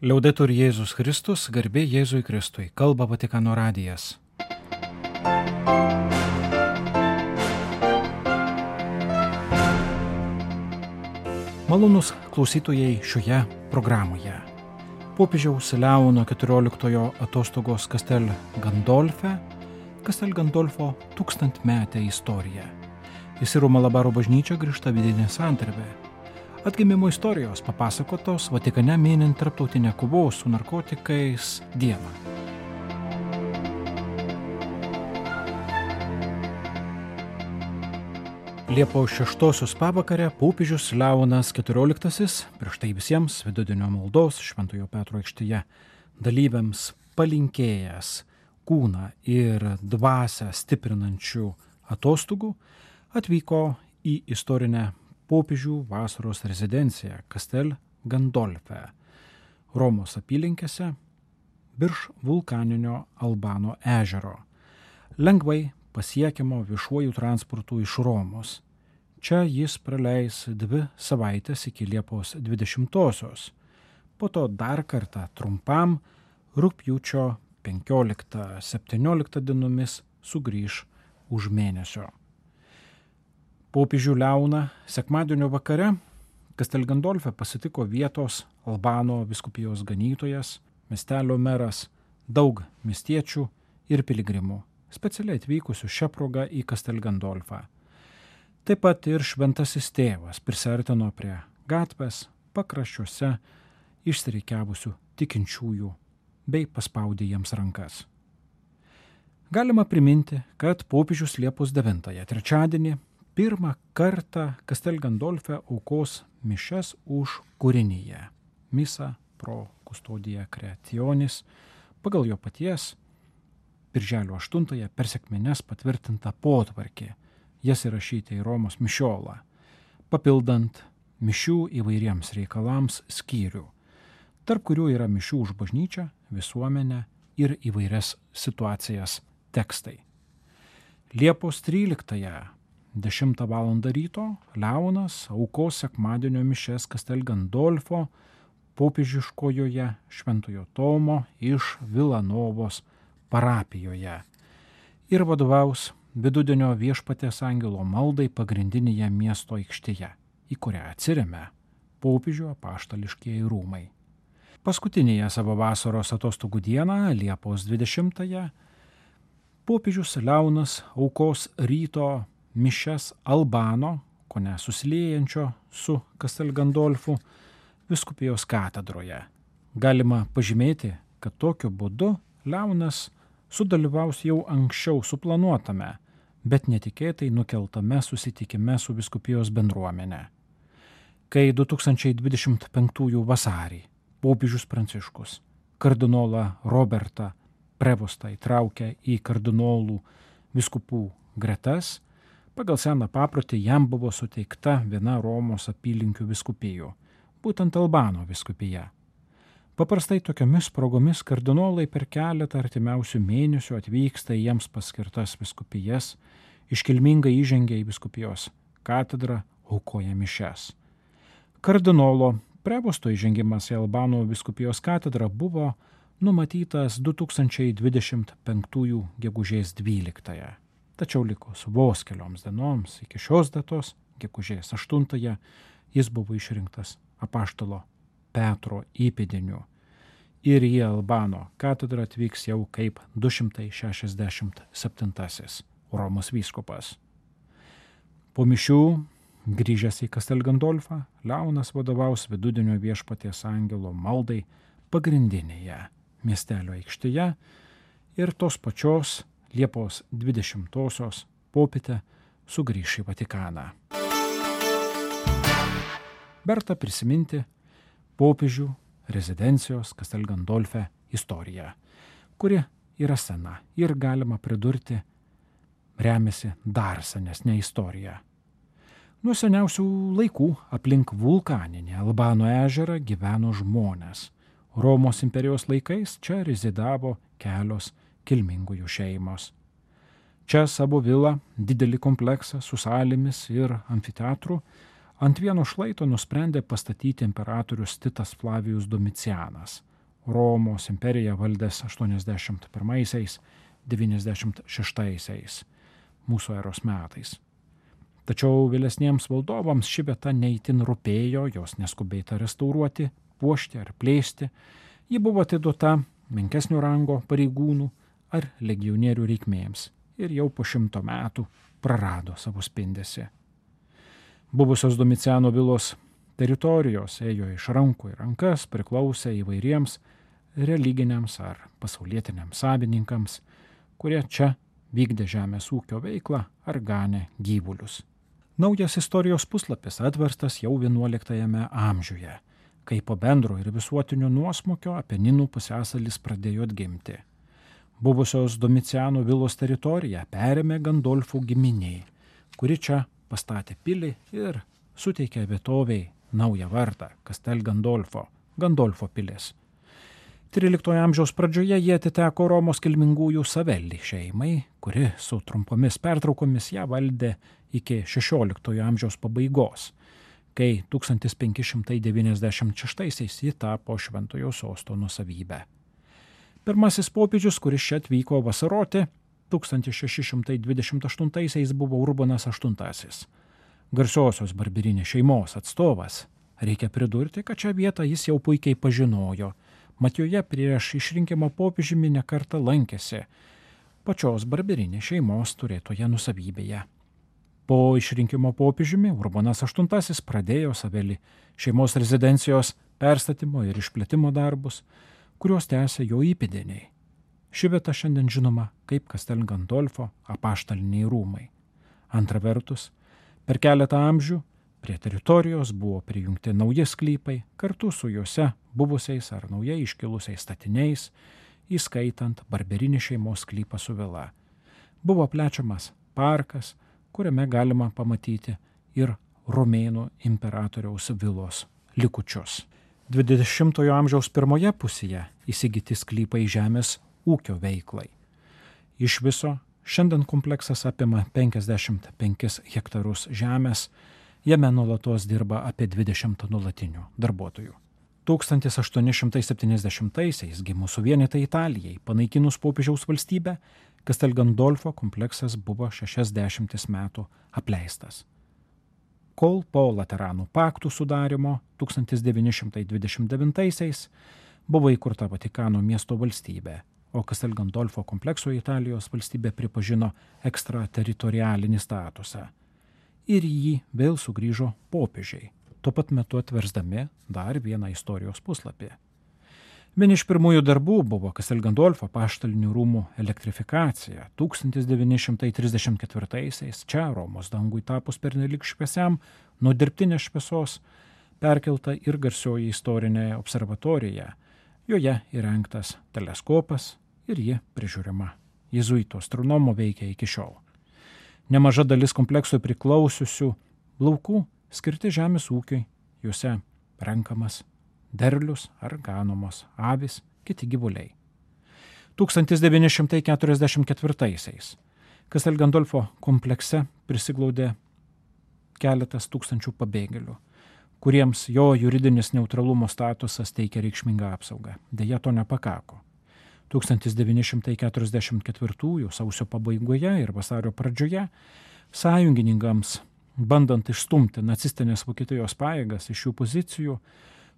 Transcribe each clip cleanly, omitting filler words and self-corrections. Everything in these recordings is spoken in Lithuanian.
Liaudetur Jėzus Kristus, garbė Jėzui Kristui, kalba Vatikano radijas. Malonūs klausytojai šioje programoje. Popiežiaus Leono XIV atostogos Castel Gandolfo 1000-metė istorija. Į Sirų Malabaro bažnyčią grįžta vidinė santarvė. Atgimimo istorijos papasakotos Vatikane minint tarptautinę kovos su narkotikais dieną. Liepos 6 pavakarę popiežius Leonas XIV, prieš tai visiems vidudienio maldos Šventojo Petro aikštėje dalyviams palinkėjęs kūną ir dvasią stiprinančių atostogų, atvyko į istorinę popiežių vasaros rezidenciją Castel Gandolfe, Romos apylinkėse, virš vulkaninio Albano ežero, lengvai pasiekiamo viešuoju transportu iš Romos. Čia jis praleis 2 savaitės iki Liepos 20-osios, po to dar kartą trumpam rugpjūčio 15-17 dienomis sugrįž už mėnesio. Popiežių Leoną sekmadienio vakare Castel Gandolfe pasitiko vietos Albano vyskupijos ganytojas, miestelio meras, daug miestiečių ir piligrimų, specialiai atvykusių šią progą į Castel Gandolfą. Taip pat ir šventasis tėvas prisiartino prie gatvės pakraščiuose išsirikiavusių tikinčiųjų bei paspaudė jiems rankas. Galima priminti, kad popiežius Liepos 9, trečiadienį, pirmą kartą Castel Gandolfe aukos mišias už kūrinyje, Misa pro Custodia Creationis, pagal jo paties birželio 8 per sekmines patvirtinta potvarkė, jas įrašyti į Romos mišiolą, papildant mišių įvairiems reikalams skyrių, tarp kurių yra mišių už bažnyčią, visuomenę ir įvairias situacijas tekstai. Liepos 13 10 val. Ryto Leonas aukos sekmadienio mišias Castel Gandolfo popiežiškojoje Šventojo Tomo iš Vilanovos parapijoje ir vadovaus vidudienio viešpaties angelo maldai pagrindinėje miesto aikštėje, į kurią atsiremia popiežių apaštališkieji rūmai. Paskutinėje savo vasaros atostogų dieną, Liepos 20, popiežius Leonas aukos ryto mišias Albano, kone susiliejančio su Castel Gandolfu, vyskupijos katedroje. Galima pažymėti, kad tokiu būdu Leonas sudalyvaus jau anksčiau suplanuotame, bet netikėtai nukeltame susitikime su vyskupijos bendruomenė. Kai 2025 vasarį popiežius Pranciškus kardinolą Robertą Prevostą įtraukė į kardinolų vyskupų gretas, pagal seną paprotį jam buvo suteikta viena Romos apylinkių vyskupijų, būtent Albano vyskupija. Paprastai tokiomis progomis kardinolai per keletą artimiausių mėnesių atvyksta į jiems paskirtas vyskupijas, iškilmingai įžengia į vyskupijos katedrą, aukoja mišias. Kardinolo Prevosto įžengimas į Albano vyskupijos katedrą buvo numatytas 2025 gegužės 12. Tačiau likus vos kelioms dienoms iki šios datos, gegužės 8, jis buvo išrinktas apaštalo Petro įpėdiniu ir į Albano katedrą atvyks jau kaip 267 Romos vyskupas. Po mišių, grįžęs į Castel Gandolfą, Leonas vadovaus vidudienio viešpaties angelo maldai pagrindinėje miestelio aikštėje ir tos pačios Liepos 20-osios popietę sugrįš į Vatikaną. Verta prisiminti popiežių rezidencijos Castel Gandolfe istoriją, kuri yra sena ir galima pridurti remiasi dar senesnė istorija. Nuo seniausių laikų aplink vulkaninį Albano ežerą gyveno žmonės. Romos imperijos laikais čia rezidavo kelios kilmingųjų šeimos. Čia savo vilą, didelį kompleksą su salėmis ir amfiteatru Ant vieno šlaito nusprendė pastatyti imperatorius Titas Flavijus Domicianas, Romos imperiją valdęs 81–96 mūsų eros metais. Tačiau vėlesniems valdovams ši vieta neįtin rūpėjo, jos neskubėta restauruoti, puošti ar plėsti. Ji buvo atiduota menkesnio rango pareigūnų ar legionierių reikmėms ir jau po 100 metų prarado savo spindesį. Buvusios Domiciano vilos teritorijos ėjo iš rankų į rankas, priklausė įvairiems religiniams ar pasaulietiniams savininkams, kurie čia vykdė žemės ūkio veiklą ar ganė gyvulius. Naujas istorijos puslapis atverstas jau XI amžiuje, kai po bendro ir visuotinio nuosmukio Apeninų pusiasalis pradėjo atgimti. Buvusios Domiciano vilos teritoriją perėmė Gandolfų giminiai, kuri čia pastatė pilį ir suteikė vietoviai naują vardą – Castel Gandolfo, Gandolfo pilis. XIII amžiaus pradžioje jie atiteko Romos kilmingųjų Savelli šeimai, kuri su trumpomis pertraukomis ją valdė iki XVI amžiaus pabaigos, kai 1596 ji tapo Šventojo sosto nuosavybė. Pirmasis popiežius, kuris čia atvyko vasaroti, 1628 buvo Urbonas VIII, garsiosios Barbirinės šeimos atstovas. Reikia pridurti, kad šią vietą jis jau puikiai pažinojo, mat joje prieš išrinkimą popiežiumi nekartą lankėsi pačios Barbirinės šeimos turėtoje nusavybėje. Po išrinkimo popiežiumi Urbonas VIII pradėjo Savelli šeimos rezidencijos perstatymo ir išplėtimo darbus, kuriuos tęsė jo įpėdiniai. Ši vieta šiandien žinoma kaip Castel Gandolfo apaštaliniai rūmai. Antra vertus, per keletą amžių prie teritorijos buvo prijungti nauji sklypai kartu su juose buvusiais ar naujai iškilusiais statiniais, įskaitant Barbirinės šeimos sklypą su vila. Buvo plečiamas parkas, kuriame galima pamatyti ir romėnų imperatoriaus vilos likučius. 20 amžiaus pirmoje pusėje įsigyti sklypai žemės ūkio veiklai. Iš viso šiandien kompleksas apima 55 hektarus žemės, jame nuolatos dirba apie 20 nuolatinių darbuotojų. 1870-aisiais gimus suvienytai Italijai, panaikinus popiežiaus valstybę, Castel Gandolfo kompleksas buvo 60 metų apleistas. Kol po Lateranų paktų sudarimo 1929-aisiais buvo įkurta Vatikano miesto valstybė, o Castel Gandolfo komplekso Italijos valstybė pripažino ekstrateritorialinį statusą. Ir jį vėl sugrįžo popiežiai, tuo pat metu atversdami dar vieną istorijos puslapį. Vieni iš pirmųjų darbų buvo Castel Gandolfo apaštalinių rūmų elektrifikacija. 1934-aisiais čia Romos dangui tapus pernelyg šviesiam nuo dirbtinės šviesos perkelta ir garsioji istorinė observatorija. Joje įrengtas teleskopas ir ji prižiūrima. Jėzuito astronomo veikia iki šiol. Nemaža dalis komplekso priklausiusių laukų skirti žemės ūkiui, juose renkamas derlius ar ganomos avys, kiti gyvuliai. 1944-aisiais Castel Gandolfo komplekse prisiglaudė keletas tūkstančių pabėgėlių, kuriems jo juridinis neutralumo statusas teikia reikšmingą apsaugą. Deja, to nepakako. 1944 sausio pabaigoje ir vasario pradžioje sąjungininkams, bandant išstumti nacistinės Vokietijos pajėgas iš šių pozicijų,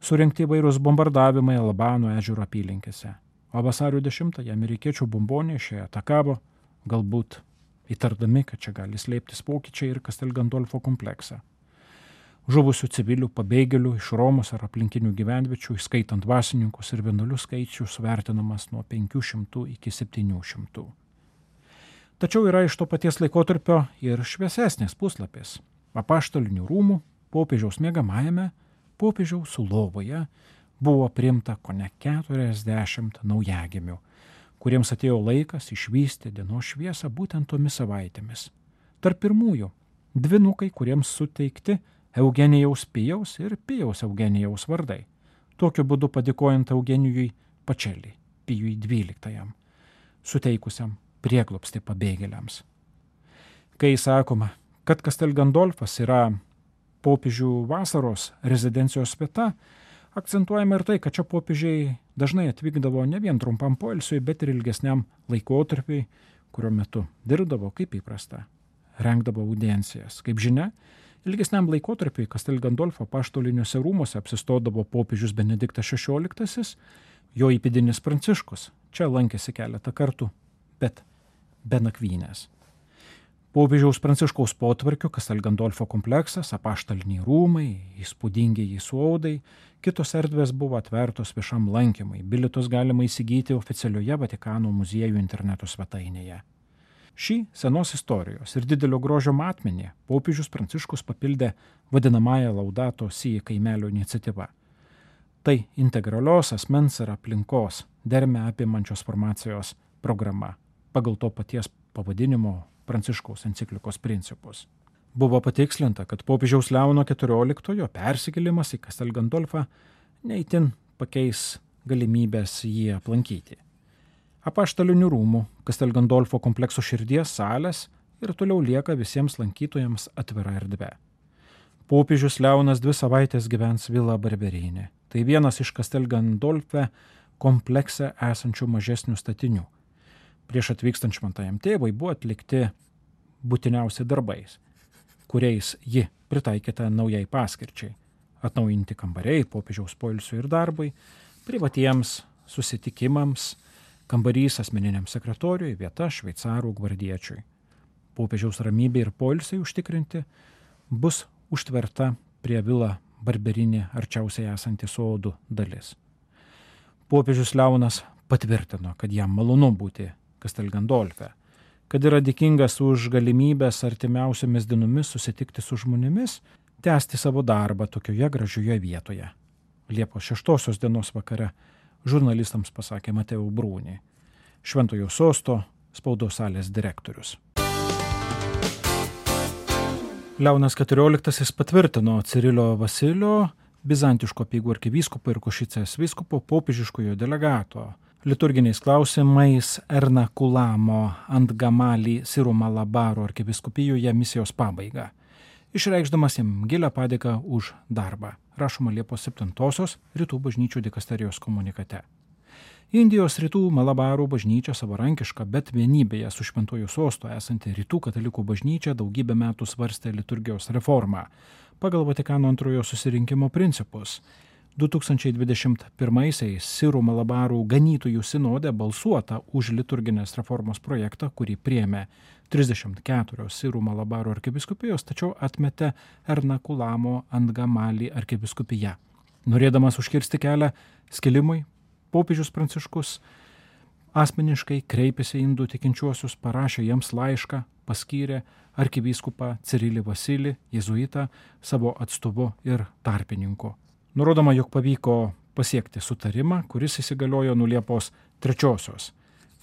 surengti įvairūs bombardavimai Albano ežero apylinkėse. O vasario 10-ąją amerikiečių bombonešiai atakavo, galbūt įtardami, kad čia gali slėptis pokyčiai ir Castel Gandolfo kompleksą. Žuvusių civilių pabėgėlių iš Romos ar aplinkinių gyvenviečių, įskaitant dvasininkus ir vienuolius skaičius, vertinamas nuo 500 iki 700. Tačiau yra iš to paties laikotarpio ir šviesesnis puslapis. Apaštalinių rūmų popiežiaus miegamajame, popiežiaus lovoje buvo priimta kone 40 naujagimių, kuriems atėjo laikas išvysti dienos šviesą būtent tomis savaitėmis. Tarp pirmųjų dvynukai, kuriems suteikti Eugenijaus Pijaus ir Pijaus Eugenijaus vardai, tokiu būdu padėkojant Eugenijui Pačelį, Pijui XII, suteikusiam prieglobstį pabėgėliams. Kai sakoma, kad Castel Gandolfas yra popiežių vasaros rezidencijos vieta, akcentuojama ir tai, kad čia popiežiai dažnai atvykdavo ne vien trumpam poilsiui, bet ir ilgesniam laikotarpiui, kurio metu dirbdavo kaip įprasta, rengdavo audiencijas. Kaip žinia, ilgesniam laikotarpiui Castel Gandolfo apaštaliniuose rūmuose apsistodavo popiežius Benediktas XVI, jo įpėdinis Pranciškus. Čia lankėsi keletą kartų, bet be nakvynės. Popiežiaus Pranciškaus potvarkiu Castel Gandolfo kompleksas, apaštaliniai rūmai, įspūdingieji sodai, kitos erdvės buvo atvertos viešam lankymui. Bilietus galima įsigyti oficialioje Vatikano muziejų interneto svetainėje. Šį senos istorijos ir didelio grožio matmenį popiežius Pranciškus papildė vadinamąją Laudato Si kaimelio iniciatyva. Tai integralios asmens ir aplinkos dermę apimančios formacijos programa pagal to paties pavadinimo Pranciškaus enciklikos principus. Buvo patikslinta, kad popiežiaus Leono XIV persikėlimas į Castel Gandolfą neįtin pakeis galimybės jį aplankyti. Apaštalinių rūmų Castel Gandolfo komplekso širdies salės ir toliau lieka visiems lankytojams atvira erdvė. Popiežius Leonas 2 savaitės gyvens Villa Barberini. Tai vienas iš Castel Gandolfe komplekse esančių mažesnių statinių. Prieš atvykstant šventajam tėvui buvo atlikti būtiniausi darbais, kuriais ji pritaikyta naujai paskirčiai. Atnaujinti kambariai popiežiaus poilsiui ir darbui, privatiems susitikimams, kambarys asmeniniam sekretoriui, vieta šveicarų gvardiečiui. Popiežiaus ramybė ir poilsiai užtikrinti bus užtverta prie Villa Barberini arčiausiai esanti sodų dalis. Popiežius Leonas patvirtino, kad jam malonu būti Castel Gandolfe, kad yra dėkingas už galimybės artimiausiomis dienomis susitikti su žmonėmis, tęsti savo darbą tokioje gražioje vietoje. Liepos 6 dienos vakare žurnalistams pasakė Mateo Bruni, Šventojo sosto spaudos salės direktorius. Leonas XIV patvirtino Cirilio Vasilio, bizantiško apeigų arkivyskupo ir Košicės vyskupo popiežiškojo delegato liturginiais klausimais Ernakulamo ant Gamali Siro Malabaro arkiviskupijoje misijos pabaigą, išreikšdamas jam gilią padėką už darbą, rašoma Liepos 7 Rytų bažnyčių dikasterijos komunikate. Indijos Rytų Malabaro bažnyčia savarankiška, bet vienybėje su Šventuoju sostu esanti Rytų katalikų bažnyčia daugybę metų svarstė liturgijos reformą pagal Vatikano antrojo susirinkimo principus. 2021 Sirų Malabarų ganytojų sinode balsuota už liturginės reformos projektą, kurį priėmė 34 Sirų Malabarų arkiviskupijos, tačiau atmetė Ernakulamo ant Gamali arkiviskupija. Norėdamas užkirsti kelią skilimui, popiežius Pranciškus asmeniškai kreipėsi į indų tikinčiuosius, parašė jiems laišką, paskyrė arkivyskupą Cirilį Vasilį, jėzuitą, savo atstovu ir tarpininku. Nurodoma, jog pavyko pasiekti sutarimą, kuris įsigaliojo nuo Liepos 3,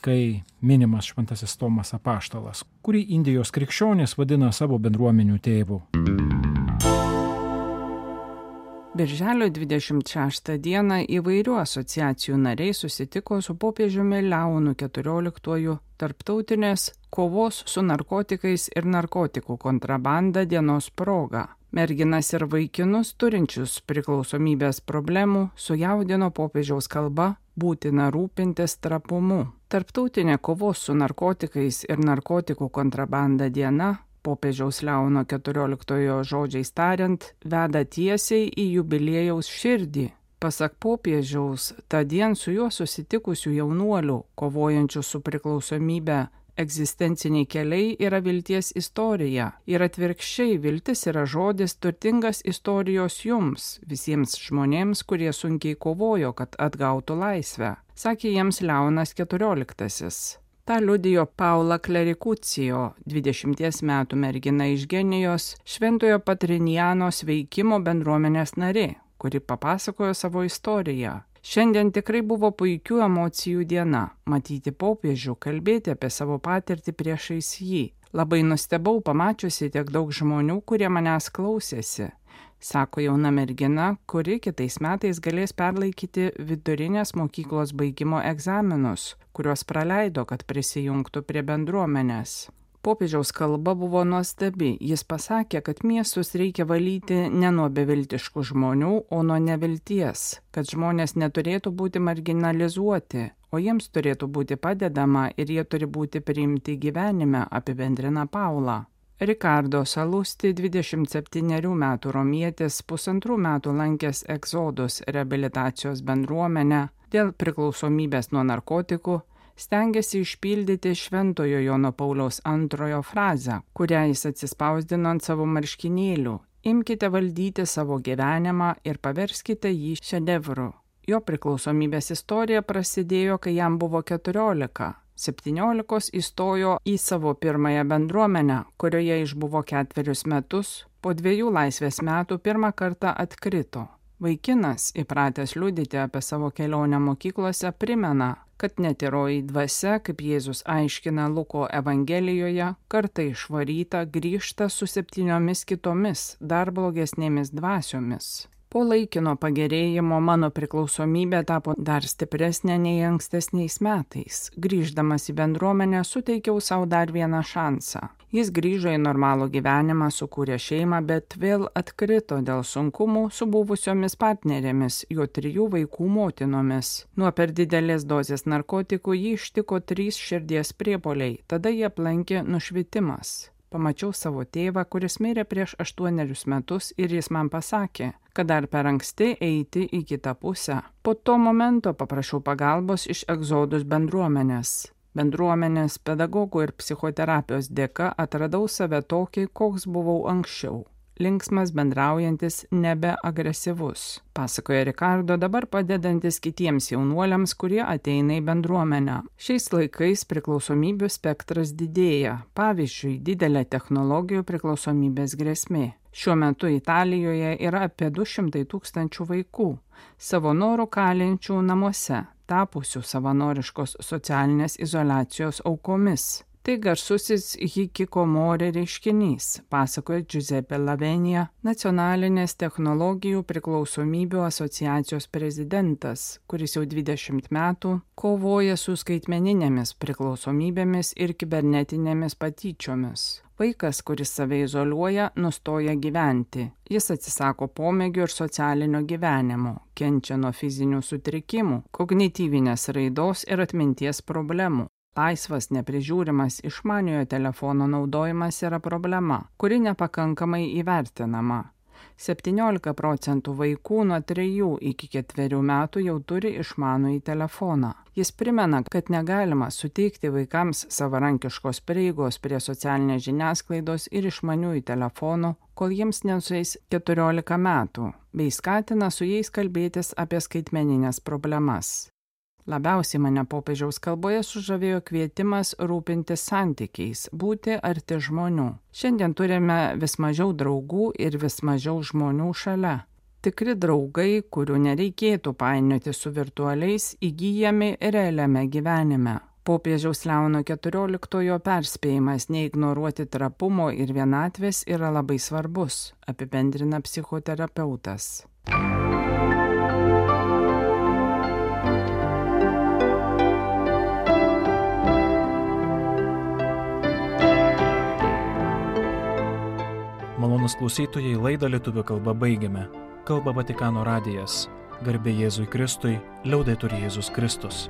kai minimas Šventasis Tomas Apaštalas, kurį Indijos krikščionys vadina savo bendruomenių tėvu. Birželio 26 dieną įvairių asociacijų nariai susitiko su popiežiumi Leonu XIV tarptautinės kovos su narkotikais ir narkotikų kontrabanda dienos proga. Merginas ir vaikinus turinčius priklausomybės problemų sujaudino popiežiaus kalba būtina rūpintis trapumu. Tarptautinė kovos su narkotikais ir narkotikų kontrabanda diena, popiežiaus Leono XIV žodžiais tariant, veda tiesiai į jubiliejaus širdį. Pasak popiežiaus, tą dieną su juo susitikusių jaunuolių, kovojančių su priklausomybe, egzistenciniai keliai yra vilties istorija ir atvirkščiai viltis yra žodis turtingas istorijos jums, visiems žmonėms, kurie sunkiai kovojo, kad atgautų laisvę, sakė jiems Leonas XIV. Ta liudijo Paula Klerikucijo, 20 metų mergina iš Genijos, Šventojo Patrinijanos veikimo bendruomenės narė, kuri papasakojo savo istoriją. Šiandien tikrai buvo puikių emocijų diena, matyti popiežių, kalbėti apie savo patirtį priešais jį. Labai nustebau pamačiusi tiek daug žmonių, kurie manęs klausėsi, sako jauna mergina, kuri kitais metais galės perlaikyti vidurinės mokyklos baigimo egzaminus, kuriuos praleido, kad prisijungtų prie bendruomenės. Popiežiaus kalba buvo nuostabi. Jis pasakė, kad miestus reikia valyti ne nuo beviltiškų žmonių, o nuo nevilties, kad žmonės neturėtų būti marginalizuoti, o jiems turėtų būti padedama ir jie turi būti priimti gyvenime, apibendrina Paula. Ricardo Salusti, 27 metų romietis, 1,5 metų lankęs Exodus reabilitacijos bendruomenę dėl priklausomybės nuo narkotikų, stengiasi išpildyti Šventojo Jono Pauliaus II frazę, kurią jis atsispausdino ant savo marškinėlių: imkite valdyti savo gyvenimą ir paverskite jį šedevru. Jo priklausomybės istorija prasidėjo, kai jam buvo 14. 17 įstojo į savo pirmąją bendruomenę, kurioje išbuvo 4 metus, po 2 laisvės metų pirmą kartą atkrito. Vaikinas, įpratęs liudyti apie savo kelionę mokyklose, primena, kad netyroji dvasia, kaip Jėzus aiškina Luko Evangelijoje, kartą išvaryta grįžta su 7 kitomis, dar blogesnėmis dvasiomis. Po laikino pagerėjimo mano priklausomybė tapo dar stipresnė nei ankstesniais metais. Grįždamas į bendruomenę suteikiau savo dar vieną šansą. Jis grįžo į normalų gyvenimą, sukūrė šeimą, bet vėl atkrito dėl sunkumų su buvusiomis partnerėmis, jo 3 vaikų motinomis. Nuo per didelės dozės narkotikų jį ištiko 3 širdies priepuoliai, tada jie aplankė nušvitimas. Pamačiau savo tėvą, kuris mirė prieš 8 metus ir jis man pasakė, kad dar per anksti eiti į kitą pusę. Po to momento paprašiau pagalbos iš Exodus bendruomenės. Bendruomenės, pedagogų ir psichoterapijos dėka atradau save tokį, koks buvau anksčiau. Linksmas, bendraujantis, nebeagresyvus. Pasakoja Ricardo, dabar padedantis kitiems jaunuoliams, kurie ateina į bendruomenę. Šiais laikais priklausomybių spektras didėja. Pavyzdžiui, didelė technologijų priklausomybės grėsmė. Šiuo metu Italijoje yra apie 200 000 vaikų, savo norų kalinčių namuose, tapusių savanoriškos socialinės izoliacijos aukomis. Tai garsusis hikikomori reiškinys, pasakoja Giuseppe Lavenija, nacionalinės technologijų priklausomybių asociacijos prezidentas, kuris jau 20 metų kovoja su skaitmeninėmis priklausomybėmis ir kibernetinėmis patyčiomis. Vaikas, kuris save izoliuoja, nustoja gyventi. Jis atsisako pomėgių ir socialinio gyvenimo, kenčia nuo fizinių sutrikimų, kognityvinės raidos ir atminties problemų. Laisvas, neprižiūrimas išmaniojo telefono naudojimas yra problema, kuri nepakankamai įvertinama. 17% vaikų nuo 3 iki 4 metų jau turi išmanųjį telefoną. Jis primena, kad negalima suteikti vaikams savarankiškos prieigos prie socialinės žiniasklaidos ir išmaniųjų telefonų, kol jiems nesueis 14 metų, bei skatina su jais kalbėtis apie skaitmeninės problemas. Labiausiai mane popiežiaus kalboje sužavėjo kvietimas rūpintis santykiais, būti arti žmonių. Šiandien turime vis mažiau draugų ir vis mažiau žmonių šalia. Tikri draugai, kurių nereikėtų painioti su virtualiais, įgyjami realiame gyvenime. Popiežiaus Leono XIV perspėjimas neignoruoti trapumo ir vienatvės yra labai svarbus, apibendrina psichoterapeutas. Malonūs klausytojai, laidą lietuvių kalba baigiame. Kalba Vatikano radijas. Garbė Jėzui Kristui, liaudetur Jėzus Kristus.